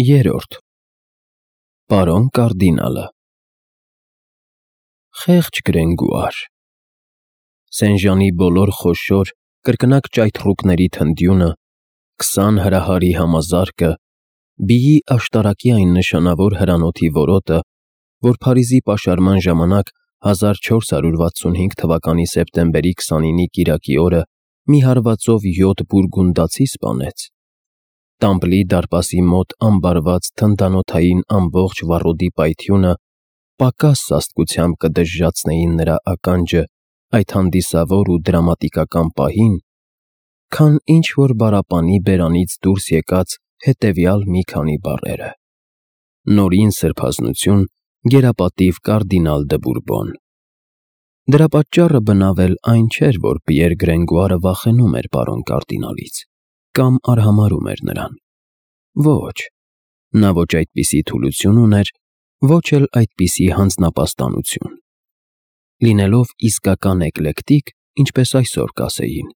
Երրորդ Պարոն կարդինալը Խեղճ Գրենգուար Սենժանի բոլոր խոշոր, կրկնակ ճայթռուկների թնդյունը, 20 հրահարի համազարկը, բիի աշտարակի այն նշանավոր հրանոթի որոտը, որ Փարիզի պաշարման ժամանակ 1465 թվականի սեպտեմբերի 29-ի կիրակի օրը մի հարվածով 7 բուրգունդացի սպանեց, Տամպլի դարպասի մոտ ամբարված թնդանոթային ամբողջ վառոդի պայթյունը պակաս սաստկությամբ կդժժացնեին նրա ականջը այդ հանդիսավոր ու դրամատիկական պահին, քան ինչ-որ պարապանի բերանից դուրս եկած հետևյալ մի քանի բառերը. Նորին սրբազնություն, գերապատիվ կարդինալ դը Բուրբոն։ Դրա պատճառը բնավ էլ այն չէր, որ Պիեր Գրենգուարը վախենում էր պարոն կարդինալից կամ արհամարհում էր նրան։ Ոչ, նա ոչ այդպիսի թուլություն ուներ, ոչ էլ այդպիսի հանձնապաստանություն։ Լինելով իսկական էկլեկտիկ, ինչպես այսօր կասեին,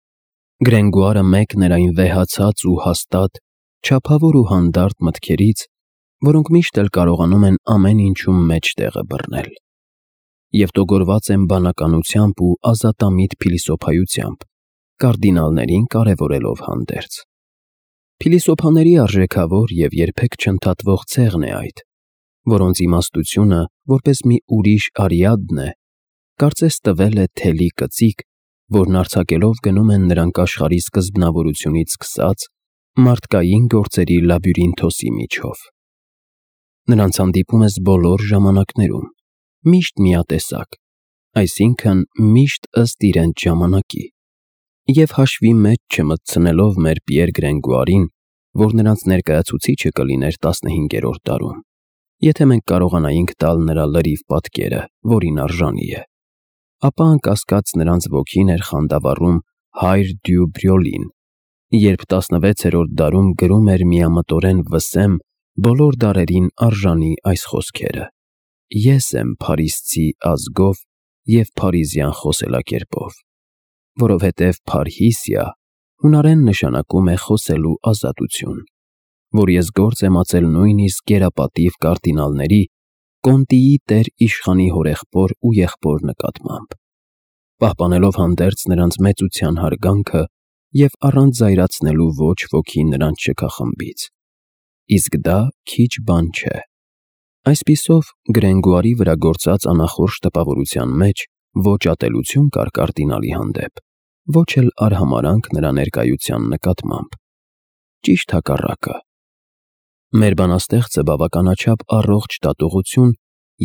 Գրենգուարը մեկն էր այն վեհացած ու հաստատ, չափավոր ու հանդարտ մտքերից, որոնք միշտ էլ կարողանում են ամեն ինչում մեջտեղը բռնել և տոգորված են բանականությամբ ու ազատամիտ փիլիսոփայությամբ, կարդինալներին կարևորելով հանդերձ։ Փիլիսոփաների արժեքավոր և երբեք չընդհատվող ցեղն է այդ, որոնց իմաստությունը, որպես մի ուրիշ Արիադն է, կարծես տվել է թելի կծիկ, որն արձակելով գնում են նրանք աշխարհի սկզբնավորությունից սկսած մարդկային գործերի լաբյուրինթոսի միջով։ Նրանց հանդիպում ես բոլոր ժամանակներում, միշտ միատեսակ, այսինքն միշտ ըստ իրենց ժամանակի, և հաշվի մեջ չմտցնելով մեր Պիեր Գրենգուարին, որ նրանց ներկայացուցիչը կլիներ 15-րդ դարում, եթե մենք կարողանայինք տալ նրա լրիվ պատկերը, որին արժանի է, ապա անկասկած նրանց ոգին էր խանդավառում հայր դյու Բրյոլին, երբ 16-րդ դարում գրում էր միամտորեն Վսեմ բոլոր դարերին արժանի այս խոսքերը. Ես եմ փարիսցի ազգով և փարիզյան խոսելակերպով, որովհետև փարհիսիա հունարեն նշանակում է խոսելու ազատություն, որ ես գործ եմ ածել նույնիսկ գերապատիվ կարդինալների, Կոնտիի տեր իշխանի հորեղբոր ու եղբոր նկատմամբ, պահպանելով հանդերձ նրանց մեծության հարգանքը և առանց զայրացնելու ոչ ոքի նրանց շքախմբից, իսկ դա քիչ բան չէ։ Այսպիսով, Գրենգուարի վրա գործած անախորժ տպավորության մեջ ոչ ատելություն կար կարդինալի հանդեպ, ոչ էլ արհամարհանք նրա ներկայության նկատմամբ։ Ճիշտ հակառակը։ Մեր բանաստեղծը բավականաչափ առողջ դատողություն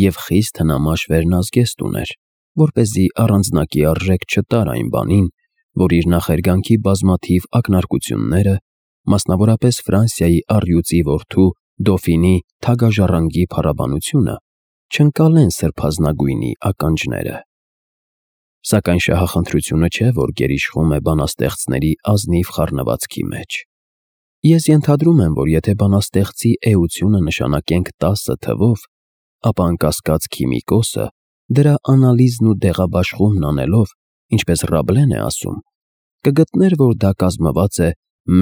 և խիստ հնամաշ վերնազգեստ ուներ, որպեսզի առանձնակի արժեք չտար այն բանին, որ իր նախերգանքի բազմաթիվ ակնարկությունները, մասնավորապես Ֆրանսիայի առյուծի որդու Դոֆինի թագաժառանգի փառաբանությունը, չընկալեն սրբազնագույնի ականջները։ Սակայն շահախնդրությունը չէ, որ գերիշխում է բանաստեղծների ազնիվ խառնվածքի մեջ։ Ես ենթադրում եմ, որ եթե բանաստեղծի էությունը նշանակենք 10 թվով, ապա անկասկած քիմիկոսը, դրա անալիզն ու դեղաբաշխումն անելով, ինչպես Ռաբլեն է ասում, կգտներ, որ դա կազմված է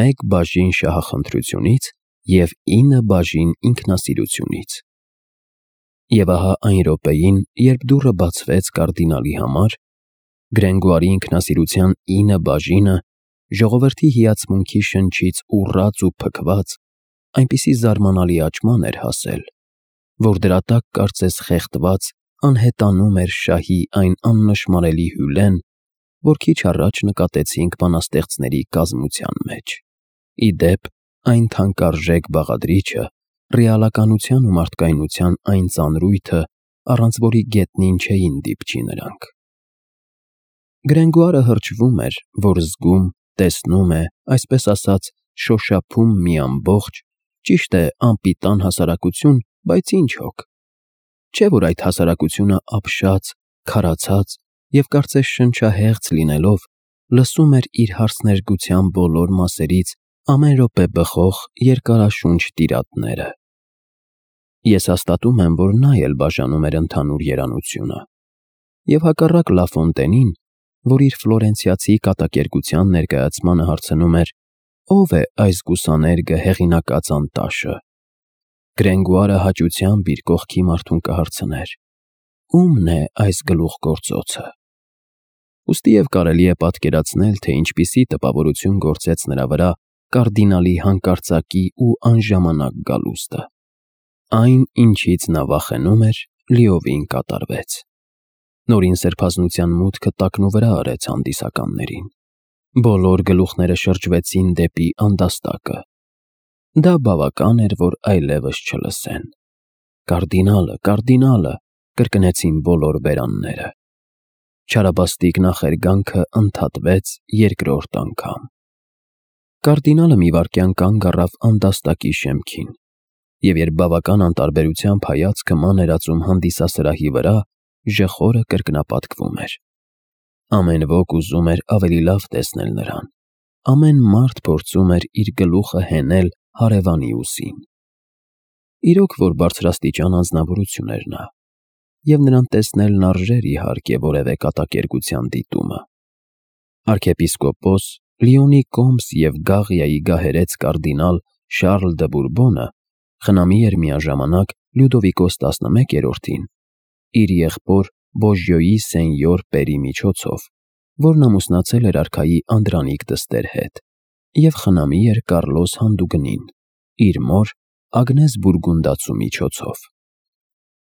1 բաժին շահախնդրությունից և 9 բաժին ինքնասիրությունից։ Եվ ահա այն րոպեին, երբ դուռը բացվեց կարդինալի համար, Գրենգուարի ինքնասիրության 9 բաժինը ժողովրդի հիացմունքի շնչից ուռած ու փքված այնպիսի զարմանալի աճման էր հասել, որ դրա տակ կարծես խեղդված անհետանում էր շահի այն աննշմարելի հյուրեն, որ քիչ առաջ նկատեցինք բանաստեղծների կազմության մեջ, ի դեպ այն թանկարժեք բաղադրիչը, ռեալականության ու մարդկայնության այն ծանրույթը, առանց որի գետնին չէին դիպչի նրանք։ Գրենգուարը հրճվում էր, որ զգում, տեսնում է, այսպես ասած, շոշափում մի ամբողջ, ճիշտ է, անպիտան հասարակություն, բայց ինչ հոգ։ Չէ՞ որ այդ հասարակությունը ապշած, քարացած և կարծես շնչահեղձ լինելով, լսում էր իր հարցներգության բոլոր մասերից ամեն րոպե բխող երկարաշունչ տիրատները։ Ես հաստատում եմ, որ նա էլ բաժանում էր ընդհանուր երանությունը, և հակառակ Լաֆոնտենին, որ իր ֆլորենցիացի կատակերգության ներկայացմանը հարցնում էր. «Ո՞վ է այս գուսաներգը հեղինակած անտաշը», Գրենգուարը հաճությամբ իր կողքի մարդուն կհարցներ. «Ո՞ւմն է այս գլուխգործոցը»։ Ուստիև կարելի է պատկերացնել, թե ինչպիսի տպավորություն գործեց նրա վրա կարդինալի հանկարծակի ու անժամանակ գալուստը։ Այն, ինչից նա վախենում էր, լիովին կատարվեց։ Նորին սրբազնության մուտքը տակնուվրա արեց հանդիսականներին։ Բոլոր գլուխները շրջվեցին դեպի անդաստակը։ Դա բավական էր, որ այլևս չլսեն։ «Կարդինալը, կարդինալը», կրկնեցին բոլոր բերանները։ Չարաբաստիկ նախերգանքը ընդհատվեց երկրորդ անգամ։ Կարդինալը մի վայրկյան կանգ առավ անդաստակի շեմքին, և երբ բավական անտարբերությամբ հայացքը մաներացում հանդիսասրահի վրա, ժխորը կրկնապատկվում էր։ Ամեն ոք ուզում էր ավելի լավ տեսնել նրան։ Ամեն մարդ փորձում էր իր գլուխը հենել հարևանի ուսին։ Իրոք որ բարձրաստիճան անձնավորություն էր նա, և նրան տեսնելն արժեր իհարկե որևէ կատակերգության դիտումը։ Արքեպիսկոպոս, Լիոնի կոմս և Գաղիայի գահերեց կարդինալ Շարլ դը Բուրբոնը խնամի էր միաժամանակ Լյուդովիկոս 11-ին իր եղբոր Բոժյոյի սենյոր Պերի միջոցով, որն ամուսնացել էր արքայի Անդրանիկ դստեր հետ, և խնամի էր Կարլոս Հանդուգնին, իր մոր Ագնես Բուրգունդացու միջոցով։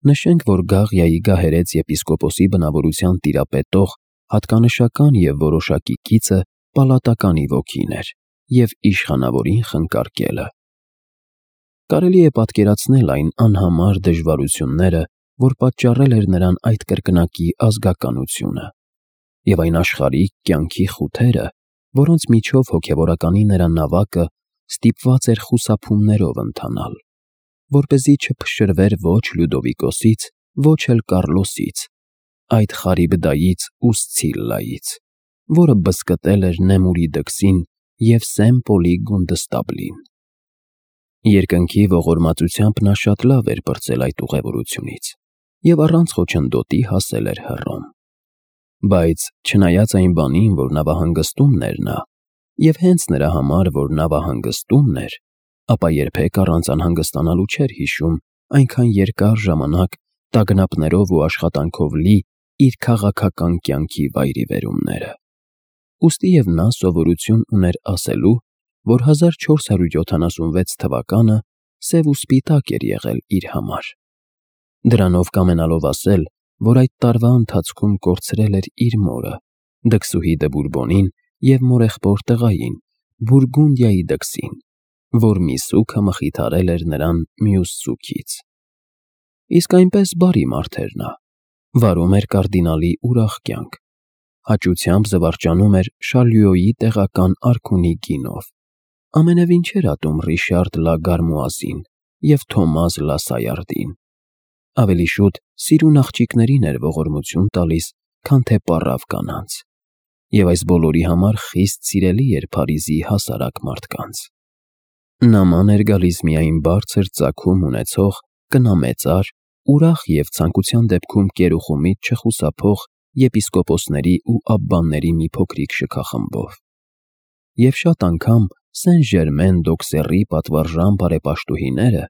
Նշենք, որ Գաղիայի գահերեց եպիսկոպոսի բնավորության տիրապետող հատկանշական և որոշակի կիցը պալատականի ոգին էր և իշխանավորին խնկարկելը։ Կարելի է պատկերացնել այն անհամար դժվարությունները, որ պատճառել էր նրան այդ կրկնակի ազգականությունը, և այն աշխարհիկ կյանքի խութերը, որոնց միջով հոգևորականի նրա նավակը ստիպված էր խուսափումներով ընթանալ, որպեսզի չփշրվեր ոչ Լյուդովիկոսից, ոչ էլ Կարլոսից, այդ Խարիբդայից ու Սցիլլայից, որը բզկտել էր Նեմուրի դքսին և Սեն-Պոլի գունդստաբլին։ Երկնքի ողորմածությամբ նա շատ լավ էր պրծել այդ ուղևորությունից և առանց խոչընդոտի հասել էր Հռոմ։ Բայց չնայած այն բանին, որ նավահանգստումն էր նա, և հենց նրա համար, որ նավահանգստումն էր, ապա երբեք առանց անհանգստանալու չէր հիշում այնքան երկար ժամանակ տագնապներով ու աշխատանքով լի իր քաղաքական կյանքի վայրիվերումները։ Ուստիև նա սովորություն ուներ ասելու, որ 1476 թվականը սև ու սպիտակ էր եղել իր համար։ Դրանով կամենալով ասել, որ այդ տարվա ընթացքում կորցրել էր իր մորը, դքսուհի դը Բուրբոնին և մորեղբոր տղային, Բուրգունդիայի դքսին, որ մի սուգը մխիթարել էր նրան մյուս սուգից։ Իսկ այնպես բարի մարդ էր նա, վարում էր կարդինալի ուրախ կյանք, հաճությամբ զվարճանում էր Շալյուոյի տեղական արքունի գինով, ամենևին չէր ատում Ռիշարդ լա Գարմուազին և Թոմազ լա Սայարդին, ավելի շուտ սիրուն աղջիկներին էր ողորմություն տալիս, քան թե պառավ կանանց, և այս բոլորի համար խիստ սիրելի էր Փարիզի հասարակ մարդկանց։ Նաման էր գալիս միայն բարձր ծագում ունեցող, կնամեծար, ուրախ և ցանկության դեպքում կերուխումից չխուսափող եպիսկոպոսների ու աբբաների մի փոքրիկ շքախմբով։ Եվ շատ անգամ Սեն-Ժերմեն-դօքսեռի պատվարժան բարեպաշտուհիները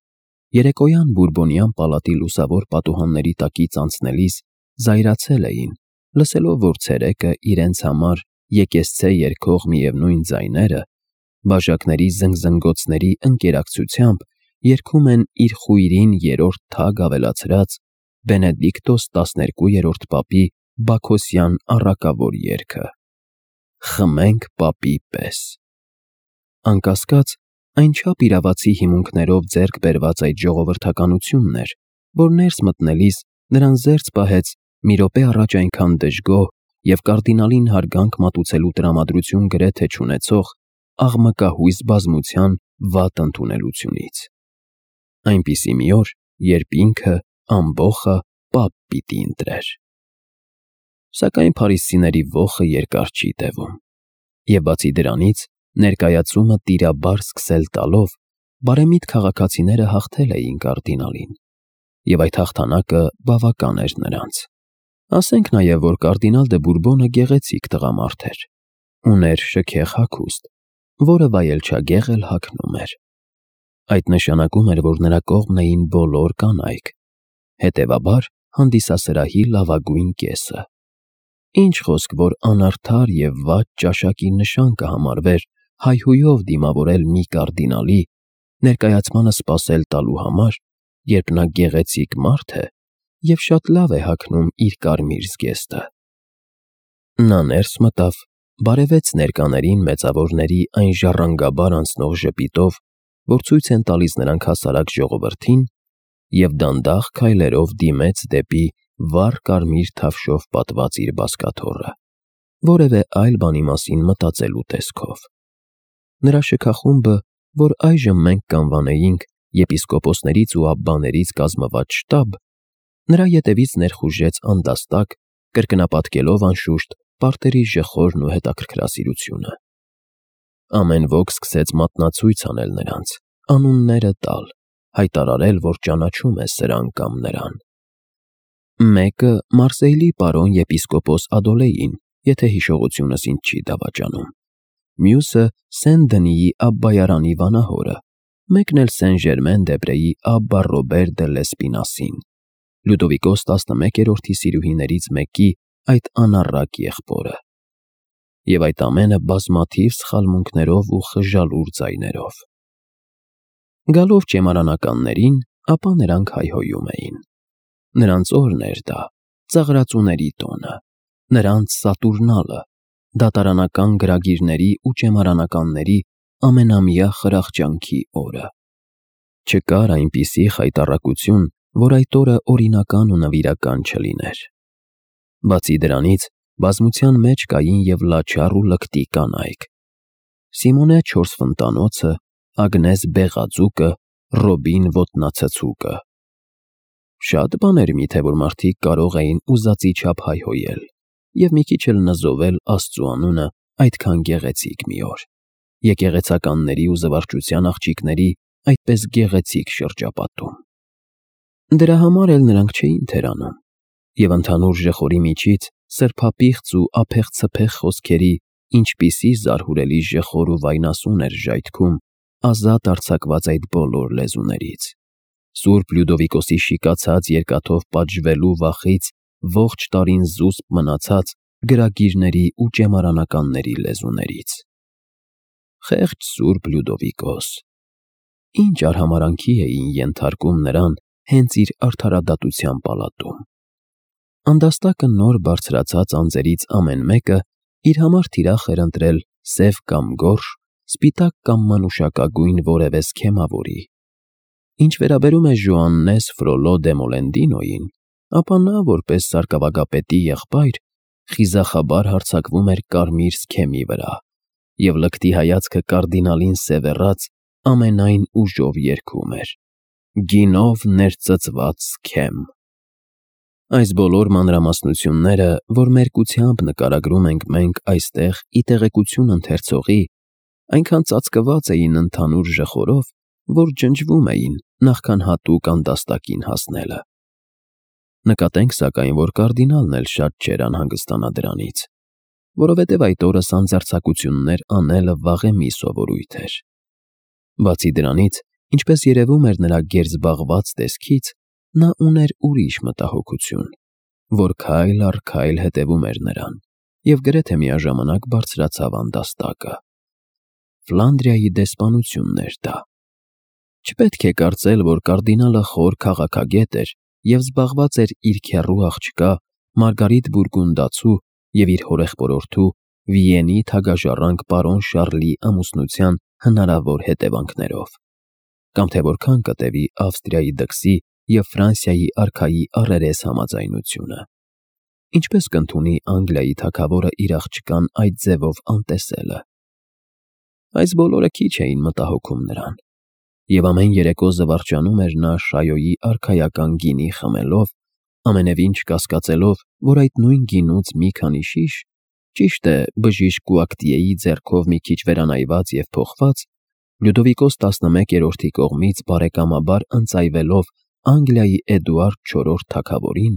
երեկոյան Բուրբոնյան պալատի լուսավոր պատուհանների տակից անցնելիս զայրացել էին, լսելով, որ ցերեկը իրենց համար եկեղեցե երգող միևնույն ձայները բաժակների զնգզնգոցների ընկերակցությամբ երգում են իր խույրին երրորդ թագ ավելացրած Բենեդիկտոս 12-րդ պապի Բաքոսյան առակավոր երգը. «Խմենք պապի պես»։ Անկասկած, այնչափ իրավացի հիմունքներով ձեռք բերված այդ ժողովրդականությունն էր, որ ներս մտնելիս նրան զերծ պահեց մի րոպե առաջ այնքան դժգոհ և կարդինալին հարգանք մատուցելու տրամադրություն գրեթե չունեցող աղմկահույս բազմության վատ ընդունելությունից։ Այնպիսի մի օր, երբ ինքը ամբոխը պապ պիտի ընտրեր։ Սակայն փարիզցիների ոխը երկար չի տևում, և բացի դրանից, ներկայացումը տիրաբար սկսել տալով, բարեմիտ քաղաքացիները հաղթել էին կարդինալին, և այդ հաղթանակը բավական էր նրանց։ Ասենք նաև, որ կարդինալ դը Բուրբոնը գեղեցիկ տղամարդ էր, ուներ շքեղ հագուստ, որը վայելչագեղ էլ հագնում էր։ Այդ նշանակում էր, որ նրա կողմն էին բոլոր կանայք, հետևաբար հանդիսասրահի լավագույն կեսը։ Ինչ խոսք, որ անարդար և վատ ճաշակի նշան կհամարվեր հայհույով դիմավորել մի կարդինալի, ներկայացմանը սպասել տալու համար, երբ նա գեղեցիկ մարդ է և շատ լավ է հագնում իր կարմիր զգեստը։ Նա ներս մտավ, բարևեց ներկաներին մեծավորների այն ժառանգաբար անցնող ժպիտով, որ ցույց են տալիս նրանք հասարակ ժողովրդին, և դանդաղ քայլերով դիմեց դեպի վառ կարմիր թավշով պատված իր բազկաթոռը, որևէ այլ բանի մասին մտածելու տեսքով։ Նրա շքախումբը, որ այժմ մենք կանվանեինք եպիսկոպոսներից ու աբբաներից կազմված շտաբ, նրա ետևից ներխուժեց անդաստակ, կրկնապատկելով անշուշտ պարտերի ժխորն ու հետաքրքրասիրությունը։ Ամեն ոք սկսեց մատնացույց անել նրանց, անունները տալ, հայտարարել, որ ճանաչում է սրան կամ նրան։ Մեկը Մարսեյլի պարոն եպիսկոպոս Ադոլեին, եթե հիշողությունս ինձ չի դավաճանում, մյուսը Սեն-Դնիի Աբբայարանի վանահորը, մեկն էլ Սեն-Ժերմեն-դե-Պրեի Աբբա Ռոբեր դե Լեսպինասին, Լյուդովիկոս 11-րդի սիրուհիներից մեկի այդ անառակ եղբորը։ Եվ այդ ամենը բազմաթիվ սխալմունքներով ու խժալուր ձայներով։ Գալով ճեմարանականներին, ապա նրանք հայհոյում էին. նրանց օրն էր դա, ծաղրածուների տոնը, նրանց Սատուրնալը, դատարանական գրագիրների ու ճեմարանականների ամենամյա խրախճանքի օրը։ Չկար այնպիսի խայտառակություն, որ այդ օրը օրինական ու նվիրական չլիներ։ Բացի դրանից, բազմության մեջ կային և լաչառ ու լկտի կանայք. Սիմոնե չորսֆնտանոցը, Ագնես Բեղածուկը, Ռոբին Ոտնացցուկը։ Շատ բաներ միթե որ մարդիկ կարող էին ուզածի չափ հայհոյել և մի քիչ էլ նզովել Աստծու անունը այդքան գեղեցիկ մի օր, եկեղեցականների ու զվարճության աղջիկների այդպես գեղեցիկ շրջապատում։ Դրա համար էլ նրանք չէին թերանում, և ընդհանուր ժխորի միջից սրբապիղծ ու ափեղ-ցփեղ խոսքերի ինչպիսի զարհուրելի ժխոր ու վայնասուն էր ժայթքում ազատ արձակված այդ բոլոր լեզուներից։ Սուրբ Լյուդովիկոսի շիկացած երկաթով պատժվելու վախից ողջ տարին զուսպ մնացած գրագիրների ու ճեմարանականների լեզուներից։ Խեղճ Սուրբ Լյուդովիկոս, ինչ արհամարհանքի էին ենթարկում նրան հենց իր արդարադատության պալատում։ Անդաստակը նոր բարձրացած անձերից ամեն մեկը իր համար թիրախ էր ընտրել սև կամ գորշ, սպիտակ կամ մանուշակագույն որևէ սքեմավորի։ Ինչ վերաբերում է Ժոաննես Ֆրոլո դե Մոլենդինոյին, ապա նա, որպես սարկավագապետի եղբայր, խիզախաբար հարձակվում էր կարմիր սքեմի վրա և լկտի հայացքը կարդինալին սևեռած ամենայն ուժով երգում էր. «Գինով ներծծված սքեմ»։ Այս բոլոր մանրամասնությունները, որ մերկությամբ նկարագրում ենք մենք այստեղ ի տեղեկություն ընթերցողի, այնքան ծածկված էին ընդհանուր ժխորով, որ ջնջվում էին, նախքան հատուկ անդաստակին հասնելը։ Նկատենք, սակայն, որ կարդինալն էլ շատ չէր անհանգստանա դրանից, որովհետև այդ օրը սանձարձակություններ անելը վաղեմի սովորույթ էր։ Բացի դրանից, ինչպես երևում էր նրա գերզբաղված տեսքից, նա ուներ ուրիշ մտահոգություն, որ քայլ առ քայլ հետևում էր նրան և գրեթե միաժամանակ բարձրացավ անդաստակը։ Ֆլանդրիայի դեսպանությունն էր դա։ Չպետք է կարծել, որ կարդինալը խոր քաղաքագետ էր և զբաղված էր իր քեռու աղջկա Մարգարիտ Բուրգունդացու և իր հորեղբորորդու Վիենի թագաժառանգ պարոն Շառլի ամուսնության հնարավոր հետևանքներով, կամ թե որքան կտևի Ավստրիայի դքսի և Ֆրանսիայի արքայի առերես համաձայնությունը։ Ինչպես կընդունի Անգլիայի թագավորը իր աղջկան այդ ձևով անտեսելը։ Այս բոլորը քիչ էին մտահոգում նրան, և ամեն երեկո զվարճանում էր նա Շայոյի արքայական գինի խմելով, ամենևին չկասկածելով, որ այդ նույն գինուց մի քանի շիշ, ճիշտ է, բժիշկ Կուակտիեի ձեռքով մի քիչ վերանայված և փոխված, Լյուդովիկոս 11-րդի կողմից բարեկամաբար ընծայվելով Անգլիայի Էդուարդ IV թագավորին,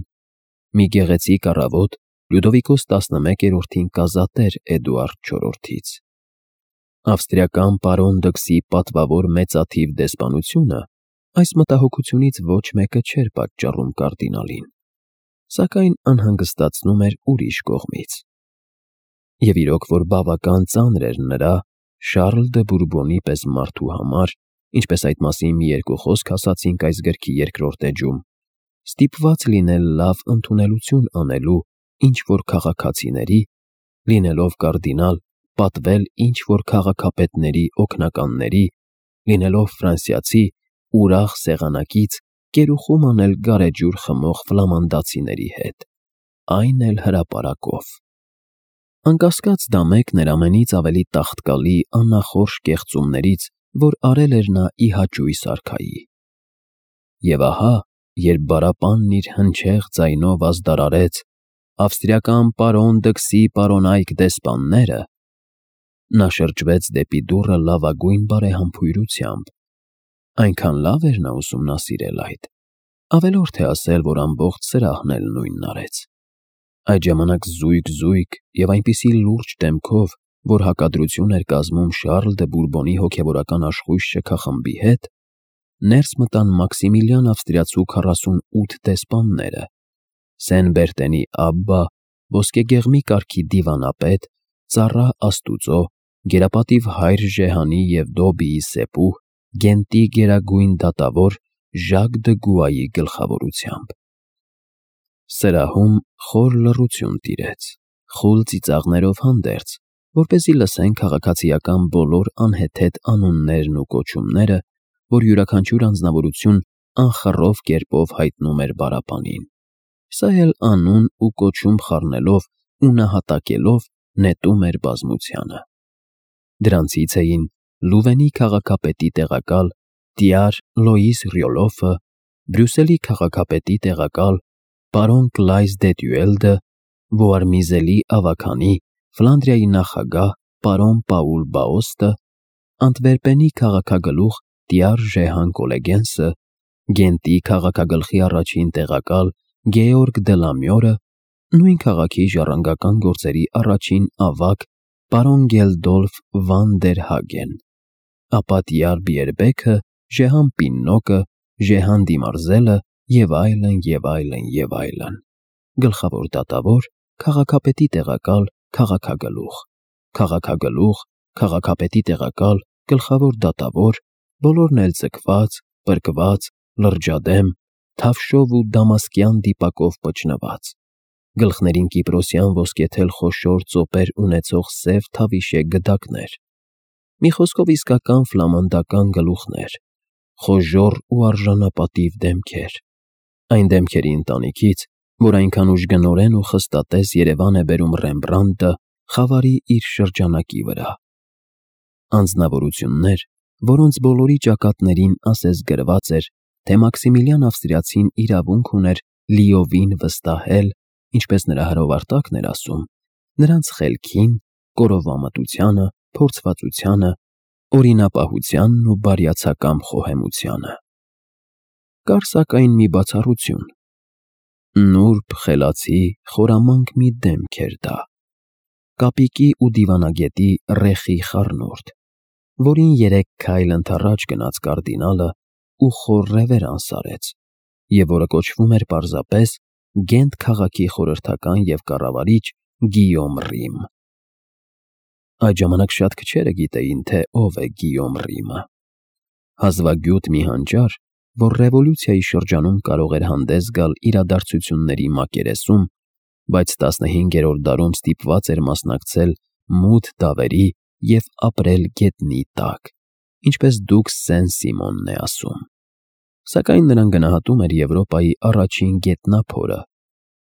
մի գեղեցիկ առավոտ Լյուդովիկոս 11-րդին կազատեր Էդուարդ IV-ից։ Ավստրիական պարոն Դքսի պատվավոր մեծաթիվ դեսպանությունը այս մտահոգությունից ոչ մեկը չէր պատճառում կարդինալին, սակայն անհանգստացնում էր ուրիշ կողմից։ Եվ իրոք որ բավական ծանր էր նրա Շարլ դը Բուրբոնի պես մարդու համար, ինչպես այդ մասին մի երկու խոսք ասացինք այս գրքի երկրորդ էջում, ստիպված լինել լավ ընդունելություն անելու ինչ-որ քաղաքացիների, լինելով կարդինալ, պատվել ինչ-որ քաղաքապետների օգնականների, լինելով ֆրանսիացի, ուրախ սեղանակից կերուխում անել գարեջուր խմող ֆլամանդացիների հետ, այն էլ հրապարակով։ Անկասկած դա մեկն էր ամենից ավելի տաղտկալի աննախորժ կեղծումներից, որ արել էր նա ի հաճույս արքայի։ Եվ ահա, երբ բարապանն իր հնչեղ ձայնով ազդարարեց ավստրիական պարոն Դքսի պարոնայք դեսպանները, նա շրջվեց դեպի դուռը լավագույն բարեհամբույրությամբ, այնքան լավ էր նա ուսումնասիրել այդ, ավելորդ է ասել, որ ամբողջ սրահն էլ նույնն արեց։ Այդ ժամանակ զույգ և այնպիսի լուրջ դեմքով, որ հակադրություն էր կազմում Շարլ դը Բուրբոնի հոգևորական աշխույժ շքախմբի հետ, ներս մտան Մաքսիմիլիան ավստրիացու 48 դեսպանները, Սեն Բերտենի Աբբա, ոսկեգեղմի կարգի դիվանապետ, ծառա Աստուծո, գերապատիվ հայր Ժեհանի և Դոբիի սեպուհ, Գենտի գերագույն դատավոր Ժակ դը Գուայի գլխավորությամբ։ Սրահում խոր լռություն տիրեց, խուլ ծիծաղներով հանդերձ, որպեսզի լսեն քաղաքացիական բոլոր անհեթեթ անուններն ու կոչումները, որ յուրաքանչյուր անձնավորություն անխռով կերպով հայտնում էր բարապանին, սա էլ անուն ու կոչում խառնելով ու նահատակելով նետում էր բազմությանը։ Դրանցից էին Լուվենի քաղաքապետի տեղակալ Տիար Լոիս Ռյոլոֆը, Բրյուսելի քաղաքապետի տեղակալ պարոն Կլայս դե Տյուելդը, Վոարմիզելի ավագանի, Ֆլանդրիայի նախագահ պարոն Պաուլ Բաոստը, Անտվերպենի քաղաքագլուխ Տիար Ժեհան Կոլեգենսը, Գենտի քաղաքագլխի առաջին տեղակալ Գեորգ դը Լամյորը, նույն քաղաքի ժառանգական գործերի առաջին ավագ պարոն Գելդոլֆ վան դեր Հագեն, ապա Տիար Բիերբեքը, Ժեհան Պիննոկը, Ժեհան Դիմարզելը և այլն, գլխավոր դատավոր, քաղաքապետի տեղակալ, քաղաքագլուխ, քաղաքապետի տեղակալ, գլխավոր դատավոր, բոլորն էլ ձգված, պրկված, լրջադեմ, թավշով ու դամասկյան դիպակով պճնված, գլխներին կիպրոսյան ոսկեթել խոշոր ծոպեր ունեցող սև թավիշե գդակներ, մի խոսքով իսկական ֆլամանդական գլուխներ, խոժոռ ու արժանապատիվ դեմքեր, այն դեմքերի ընտանիքից, որ այնքան ուժգնորեն ու խստատես Երևան է բերում Ռեմբրանդտը խավարի իր շրջանակի վրա։ Անձնավորություններ, որոնց բոլորի ճակատներին ասես գրված էր, թե Մաքսիմիլիան ավստրիացին իրավունք ուներ լիովին վստահել, ինչպես նրա հրովարտակն էր ասում, նրանց խելքին, կորովամտությանը, փորձվածությանը, օրինապահությանն ու բարյացակամ խոհեմությանը։ Կար սակայն մի բացառություն. նուրբ, խելացի, խորամանկ մի դեմք էր դա, կապիկի ու դիվանագետի ռեխի խառնուրդ, որին 3 քայլ ընդառաջ գնաց կարդինալը ու խոր ռևերանս արեց, և որը կոչվում էր պարզապես Գենտ քաղաքի խորհրդական և կառավարիչ Գիյոմ Ռիմ։ Այդ ժամանակ շատ քչերը գիտեին, թե ով է Գիյոմ Ռիմը։ Հազվագյուտ մի հանճար, որ ռևոլյուցիայի շրջանում կարող էր հանդես գալ իրադարձությունների մակերեսում, բայց 15-րդ դարում ստիպված էր մասնակցել մութ դավերի և ապրել գետնի տակ, ինչպես դուք Սեն-Սիմոնն է ասում։ Սակայն նրան գնահատում էր Եվրոպայի առաջին գետնափորը,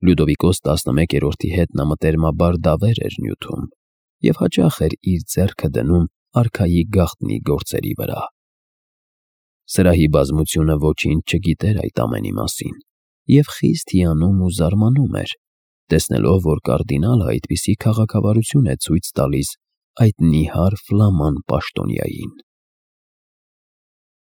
Լյուդովիկոս 11-րդի հետ նա մտերմաբար դավեր էր նյութում և հաճախ էր իր ձեռքը դնում արքայի գաղտնի գործերի վրա։ Սրահի բազմությունը ոչինչ չգիտեր այդ ամենի մասին և խիստ հիանում ու զարմանում էր, տեսնելով, որ կարդինալը այդպիսի քաղաքավարություն է ցույց տալիս այդ նիհար ֆլաման պաշտոնյային։